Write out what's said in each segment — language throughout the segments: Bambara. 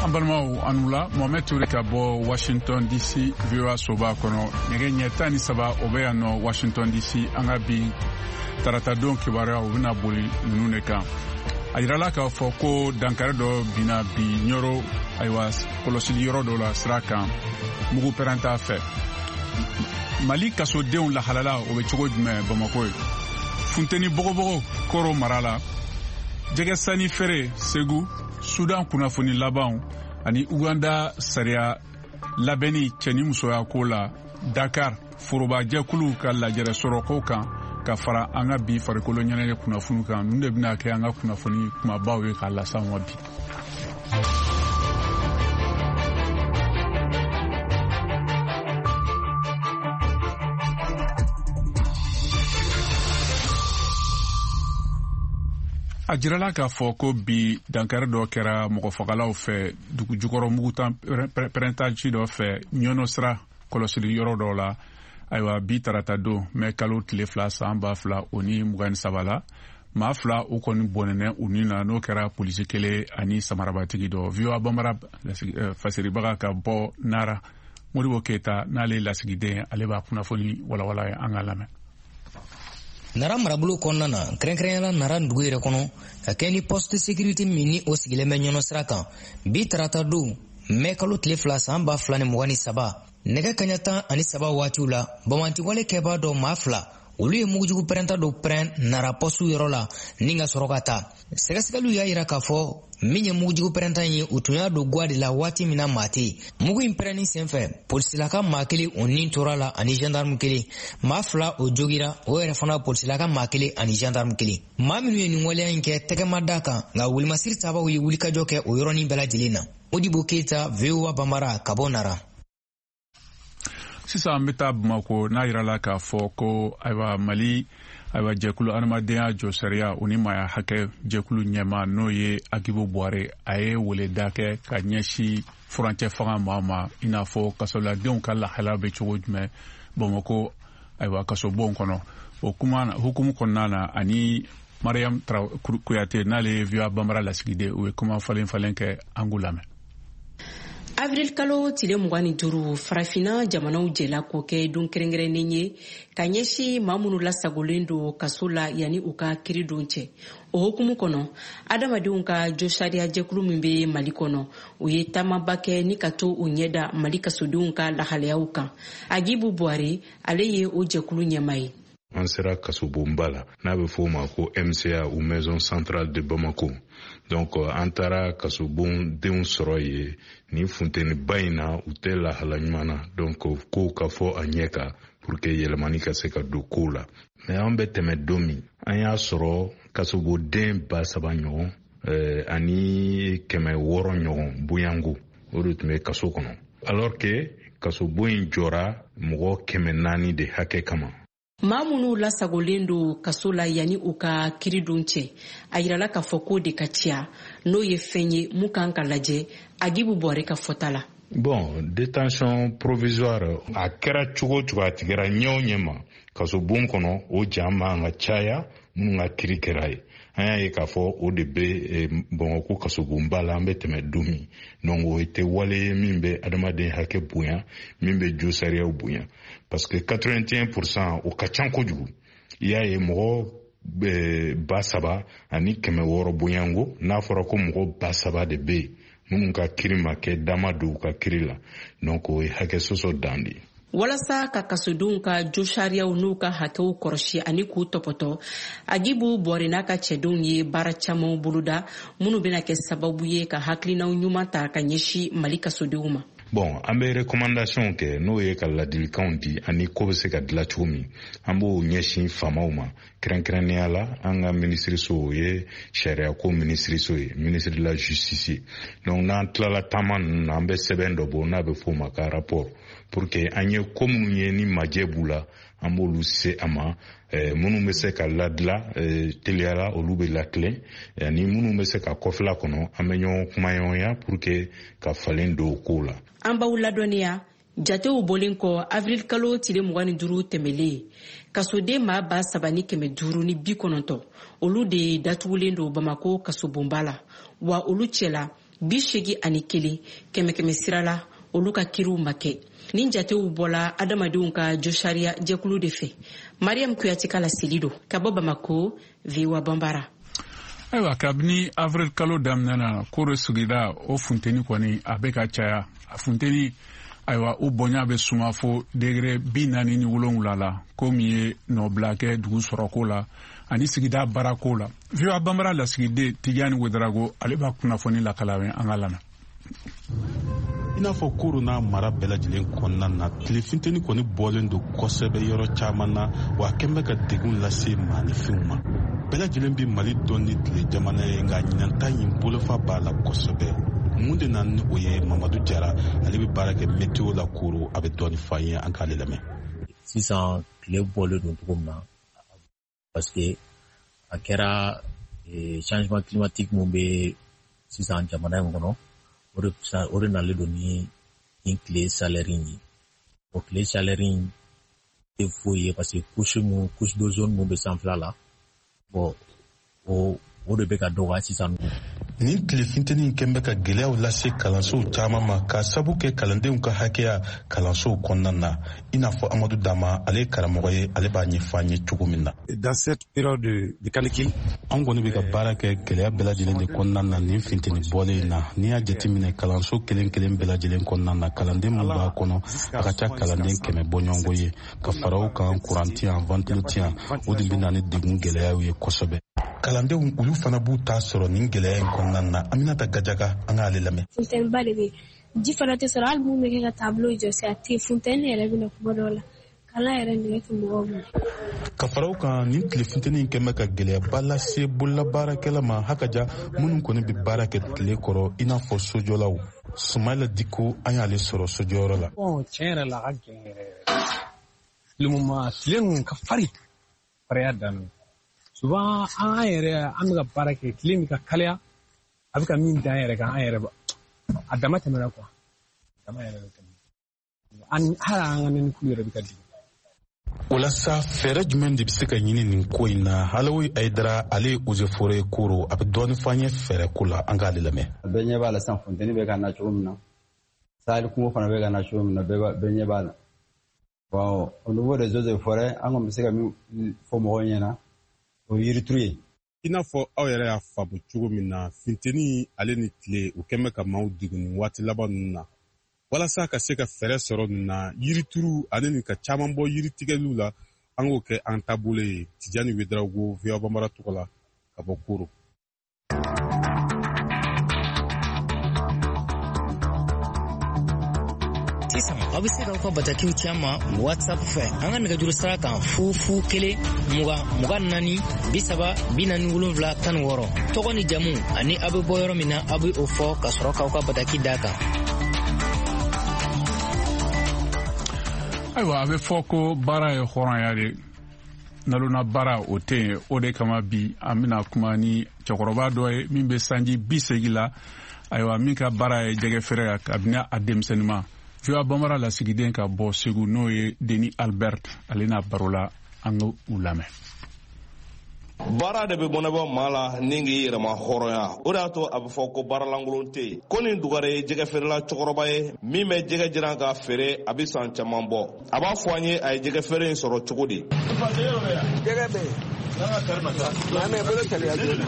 An balimaw, aw ni wula. Mohamɛd Ture ka bɔ Washington DC, VOA soba kɔnɔ. Nɛgɛ ɲɛ 13, o bɛ yan nɔ Washington DC. An ka bi taratadon kibaruya, u bɛna boli ninnu de kan. A yirala k'a fɔ ko dankari dɔ binna bi Ɲɔrɔ, ayiwa, kɔlɔsili yɔrɔ dɔ la sira kan, mugu pɛrɛnta fɛ. Mali kasodenw lahalala, o bɛ cogo jumɛn Bamako ye? Funteni bɔgɔbɔgɔ Koro mara la, jɛgɛ sanni feere Segu, Sudan kunnafoni labanw ani Uganda sariya labɛnni cɛ ni musoya ko la, Dakar forobajɛkulu ka lajɛrɛ sɔrɔko kan, ka fara an ka bi farikolo ɲɛnajɛ kunnafoni kan. Ninnu de bɛna kɛ an ka kunnafoni kumabaw ye k'a las'an ma bi. A jirala k'a fɔ ko bi dankari dɔ kɛra mɔgɔfagalaw fɛ dugu jukɔrɔ mugutan pɛrɛntaci dɔ fɛ Ɲɔnɔ sira kɔlɔsili yɔrɔ dɔ la. Ayiwa, bi tarata don, mɛ kalo tile 2, san 2023 la, maa fila u kɔni bɔnɛnɛ u ni na, n'o kɛra polisi kelen ani samarabatigi dɔ. VOA Bambara fasiribaga ka bɔ Nara, Modibo Keyita, n'ale ye lasigiden, ale b'a kunnafoni walawala ye. An ka lamɛn. Nara marabolo kɔnɔna na, kɛrɛnkɛrɛnyala Nara dugu yɛrɛ kɔnɔ, ka kɛ ni poste de sécurité min ni o sigilen bɛ Ɲɔnɔ sira kan, bi tarata don, mɛ kalo tile 2, san 2023, nɛgɛ kaɲa 13 waatiw la, bamantiwale kɛbaa dɔ, maa fila, olu ye mugujugu pɛrɛnta dɔ pɛrɛn Nara poste yɔrɔ la ni ka sɔrɔ ka taa. Sɛgɛsɛgɛliw y'a yira k'a fɔ min ye mugujugu pɛrɛnta ye, u tun y'a don gwa de la waati min na maa tɛ yen. Mugu in pɛrɛnni senfɛ, polisilaka maa kelen, o nin tora la, ani gendarme kelen. Maa fila, o jogira, o yɛrɛ fana polisilaka maa kelen ani gendarme kelen. Maa minnu ye nin waleya in kɛ, tɛgɛ ma da kan, nka wolimasiri tabaw ye wulikajɔ kɛ o yɔrɔnin bɛɛ lajɛlen na. Modibo Keyita, VOA Bambara, ka bɔ Nara. Sisan an bɛ taa Bamako, n'a yirala k'a fɔ ko, ayiwa, Mali, ayiwa, jɛkulu adamadenya jɔsariya o ni maaya hakɛ jɛkulu ɲɛma, n'o ye Agibu Buware, a ye weleda kɛ ka ɲɛsin furancɛ fanga maa ma, i n'a fɔ kasoladenw ka lahala bɛ cogo jumɛn Bamako, ayiwa, kasobon kɔnɔ. O kuma hukumu kɔnɔna na, ani Mariam Kuyate, n'ale ye VOA Bambara lasigiden, u ye kuma falen falen kɛ. An k'u lamɛn. Avril kalo tile 25, Farafina jamanaw jɛla k'o kɛ don kɛrɛnkɛrɛnnen ye ka ɲɛsin maa minnu lasagolen don kaso la yanni u ka kiri don cɛ. O hukumu kɔnɔ, adamadenw ka josariya jɛkulu min bɛ Mali kɔnɔ, u ye taamaba kɛ ni ka to u ɲɛda Mali kasodenw ka lahalayaw kan. Agibu Buware, ale ye o jɛkulu ɲɛma ye. An sera kasobonba la, n'a bɛ fɔ o ma ko MCA ou Maison centrale de Bamako. Donc an taara kasobon denw sɔrɔ yen nin funteniba in na, u tɛ lahala ɲuman na. Donc kow ka fɔ a ɲɛ kan pour que yɛlɛmani ka se ka don kow la. Mais an bɛ tɛmɛ don min, an y'a sɔrɔ kasoboden 3000 ɲɔgɔn ani 600 ɲɔgɔn bonyanko, o de tun bɛ kaso kɔnɔ, alors que kasobon in jɔra mɔgɔ 400 de hakɛ kama. Maa minnu lasagolen don kaso la yanni u ka kiri don cɛ, a yirala k'a fɔ k'o de ka ca, n'o ye fɛn ye mun kan ka lajɛ, Agibu Bɔre ka fɔta la. Bon, détention provisoire, a kɛra cogo cogo, a tigɛra ɲɛ o ɲɛ ma kasobon kɔnɔ, o jan man ka caya minnu ka kiri kɛra ye. An y'a ye k'a fɔ o de bɛ Bamakɔ kasobonba la an bɛ tɛmɛ don min. Donc o tɛ wale ye min bɛ adamaden hakɛ bonya, min bɛ jo sariyaw bonya, parce que 81%, o ka ca kojugu. I y'a ye, mɔgɔ 3600 bonyanko, n'a fɔra ko mɔgɔ 3000 de bɛ yen minnu ka kiri ma kɛ, dama don u ka kiri la. Donc o ye hakɛ sɔsɔ dan de ye. Walasa ka kasodenw ka josariyaw n'u ka hakɛw kɔrɔsi ani k'u tɔpɔtɔ, Agibu Bɔre n'a ka cɛdenw ye baara camanw boloda minnu bɛna kɛ sababu ye ka hakilinaw ɲuman ta ka ɲɛsin Mali kasodenw ma. Bon, an bɛ recommandation kɛ, n'o ye ka ladilikanw di ani ko bɛ se ka dilan cogo min. An b'o ɲɛsin faamaw ma, kɛrɛnkɛrɛnnenya la an ka minisiriso, o ye sariyako minisiriso ye, ministre de la Justice ye. Donc n'an tilala taama ninnu na, an bɛ sɛbɛn dɔ bɔ n'a bɛ f'o ma ka rapport, pour que an ye ko minnu ye ni majɛ b'u la, an b'olu se a ma. Minnu bɛ se ka ladila teliyala, olu bɛ latilen, ani minnu bɛ se ka kɔfɛla kɔnɔ, an bɛ ɲɔgɔn kumaɲɔgɔnya pour que ka falen don o kow la. An b'aw ladɔnniya, jatew bɔlen kɔ avril kalo tile 25 tɛmɛlen, kasoden maa 3590, olu de datugulen don Bamako kasobonba la, wa olu cɛla 81 kɛmɛ sira la, olu ka kiriw ma kɛ. Nin jatew bɔla adamadenw ka josariya jɛkulu de fɛ. Mariam Kuyate ka laseli don ka bɔ Bamako, VOA Banbara. Ayiwa, kabini avril kalo daminɛ na, Koro sigida o funteni kɔni a bɛ ka caya. A funteni, ayiwa, o bonya bɛ suma fo degré 47 la, ko min ye nɔbila kɛ dugu sɔrɔko la ani sigida baarako la. VOA Banbara lasigiden Tijani Wedarago, ale b'a kunnafoni lakala an ka lamɛn. I n'a fɔ Koro n'a mara bɛɛ lajɛlen kɔnɔna na, tile funteni kɔni bɔlen don kosɛbɛ yɔrɔ caman na, wa a kɛn bɛ ka degun lase maanifinw ma. Bɛɛ lajɛlen bɛ Mali dɔn ni tile jamana ye, nka ɲinan ta in bolofa b'a la kosɛbɛ. Mun de nana ni o ye? Mamadu Jara, ale bɛ baara kɛ météo la Koro, a bɛ dɔɔni fɔ an ye, an k'ale lamɛn. Sisan tile bɔlen don cogo min na, parce que a kɛra changement climatique mun bɛ sisan jamana in kɔnɔ, o de nalen don ni nin tile chaleur in ye. O tile chaleur in tɛ foyi ye, parce que couche d'ozone mun bɛ sanfɛla la, bon, o de bɛ ka dɔgɔya sisan. Nin tile funteni in kɛn bɛ ka gɛlɛyaw lase kalansow caman ma, k'a sabu kɛ kalandenw ka hakɛya kalansow kɔnɔna na. I n'a fɔ Amadu Dama, ale ye karamɔgɔ ye, ale b'a ɲɛfɔ an ye cogo min na. Dans cette période de canicule, anw kɔni bɛ ka baara kɛ gɛlɛya bɛɛ lajɛlen de kɔnɔna na nin funteni bɔlen in na. N'i y'a jateminɛ, kalanso kelen kelen bɛɛ lajɛlen kɔnɔna na, kalanden min b'a kɔnɔ, a ka ca kalanden 100 bɔɲɔgɔnko ye. Ka fara o kan, kuran ti yan, ventilo ti yan, o de bɛ na ni degun gɛlɛyaw ye kosɛbɛ. Kalandenw olu fana b'u ta sɔrɔ nin gɛlɛya in kɔnɔna na. Aminata Gajaga, an k'ale lamɛn. Funteniba de bɛ, ji fana tɛ sɔrɔ, hali mun bɛ kɛ ka tableau jɔsi, a tɛ. Funteni yɛrɛ bɛ na kuma dɔw la, kalan yɛrɛ nɛgɛ tɛ mɔgɔw minɛ. Ka fara o kan, nin tile funteni in kɛn bɛ ka gɛlɛyaba lase bololabaarakɛla ma hakaja minnu kɔni bɛ baara kɛ tile kɔrɔ, i n'a fɔ sojɔlaw. Sumayila Diko, an y'ale sɔrɔ sojɔyɔrɔ la. Tiɲɛ yɛrɛ la, a ka gɛlɛn yɛrɛ yɛrɛ. Le moment tile ninnu ka farin, farinya daminɛ. Souvent an yɛrɛ an bɛ ka baara kɛ, tile min ka kalaya, a bɛ ka min da an yɛrɛ kan, an yɛrɛ a dama tɛmɛna quoi, dama yɛrɛ bɛ tɛmɛ. Hali an ka nɛnɛkulu yɛrɛ bɛ ka jigin. O la sa, fɛɛrɛ jumɛn de bɛ se ka ɲini nin ko in na? Halawi Ayidara, ale ye eaux et forêts Koro, a bɛ dɔɔni fɔ an ye fɛɛrɛ ko la, an k'ale lamɛn. Bɛɛ ɲɛ b'a la sisan, funteni bɛ ka na cogo min na, Sahel kungo fana bɛ ka na cogo min na, bɛɛ ɲɛ b'a la. Bon, au niveau des eaux et forêts, an kɔni bɛ se ka min fɔ mɔgɔw ɲɛna, o ye yirituru ye. I n'a fɔ aw yɛrɛ y'a faamu cogo min na, funteni ale ni tile, o kɛn bɛ ka maaw degun nin waati laban ninnu na. Walasa ka se ka fɛɛrɛ sɔrɔ nin na, yirituru ale ni ka caman bɔ yiritigɛliw la, an k'o kɛ an taabolo ye. Tijani Wedarago, VOA Banbara tɔgɔ la, ka bɔ Koro. Sisan aw bɛ se k'aw ka batakiw ci an ma WhatsApp fɛ, an ka nɛgɛjuru sira kan: 0 0 1 20 24 30 47 16. Tɔgɔ ni jamu ani aw bɛ bɔ yɔrɔ min na, aw bɛ o fɔ ka sɔrɔ k'aw ka bataki d'a kan. Ayiwa, a bɛ fɔ ko baara ye hɔrɔnya de, nalona baara o tɛ yen. O de kama bi an bɛna kuma ni cɛkɔrɔba dɔ ye min bɛ sanji 80 la, ayiwa, min ka baara ye jɛgɛ feere ye kabini a denmisɛnninma. VOA Banbara lasigiden ka bɔ Segu, n'o ye Denis Albert, ale n'a baro la, an ka u lamɛn. Baara de bɛ bɔnɛbɔ maa la ni k'i yɛrɛma hɔrɔnya. O de y'a to a bɛ fɔ ko baaralankolon tɛ yen. Ko nin Dugare ye jɛgɛ feerela cɛkɔrɔba ye min bɛ jɛgɛ jiran ka feere, a bɛ san caman bɔ. A b'a fɔ an ye a ye jɛgɛ feere in sɔrɔ cogo di. Jɛgɛ bɛ yen, mɛ bolo teliya joona,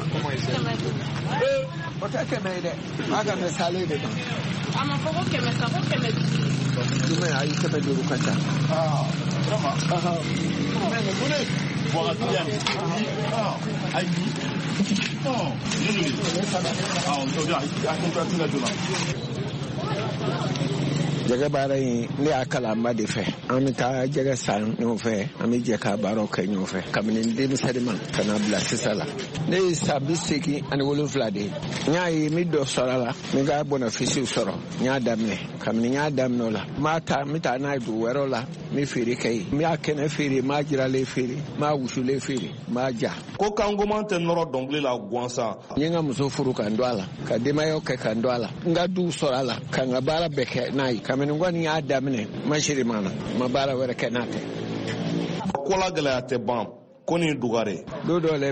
o tɛ 100 ye dɛ, a ka mɛ salen de ma. A ma fɔ ko 100 sa, ko 500. Jumɛn? Ayi, 500 ka ca. Jɛgɛ baara in, ne y'a kalan n ba de fɛ. An bɛ taa jɛgɛ san ɲɔgɔn fɛ, an bɛ jɛ ka baaraw kɛ ɲɔgɔn fɛ kabini denmisɛnnin ma ka na bila sisan la. Ne ye san 87 de ye. N y'a ye n bɛ dɔ sɔrɔ a la, n bɛ ka bénéfice sɔrɔ. N y'a daminɛ, kabini n y'a daminɛ o la, n b'a ta, n bɛ taa n'a ye dugu wɛrɛw la, n bɛ feere kɛ yen. N b'a kɛnɛ feere, n b'a jiralen feere, n b'a wusulen feere, n b'a ja. Ko kangoman tɛ nɔrɔ dɔnkili la gansan. N ye n ka muso furu ka n don a la, ka denbayaw kɛ ka n don a la, n ka duw sɔrɔ a la, ka n ka baara bɛɛ kɛ n'a ye. Kabini n kɔni y'a daminɛ, n ma siri ma na, n ma baara wɛrɛ kɛ n'a tɛ. Ko la gɛlɛya tɛ ban, ko nin Dugare. Don dɔw la.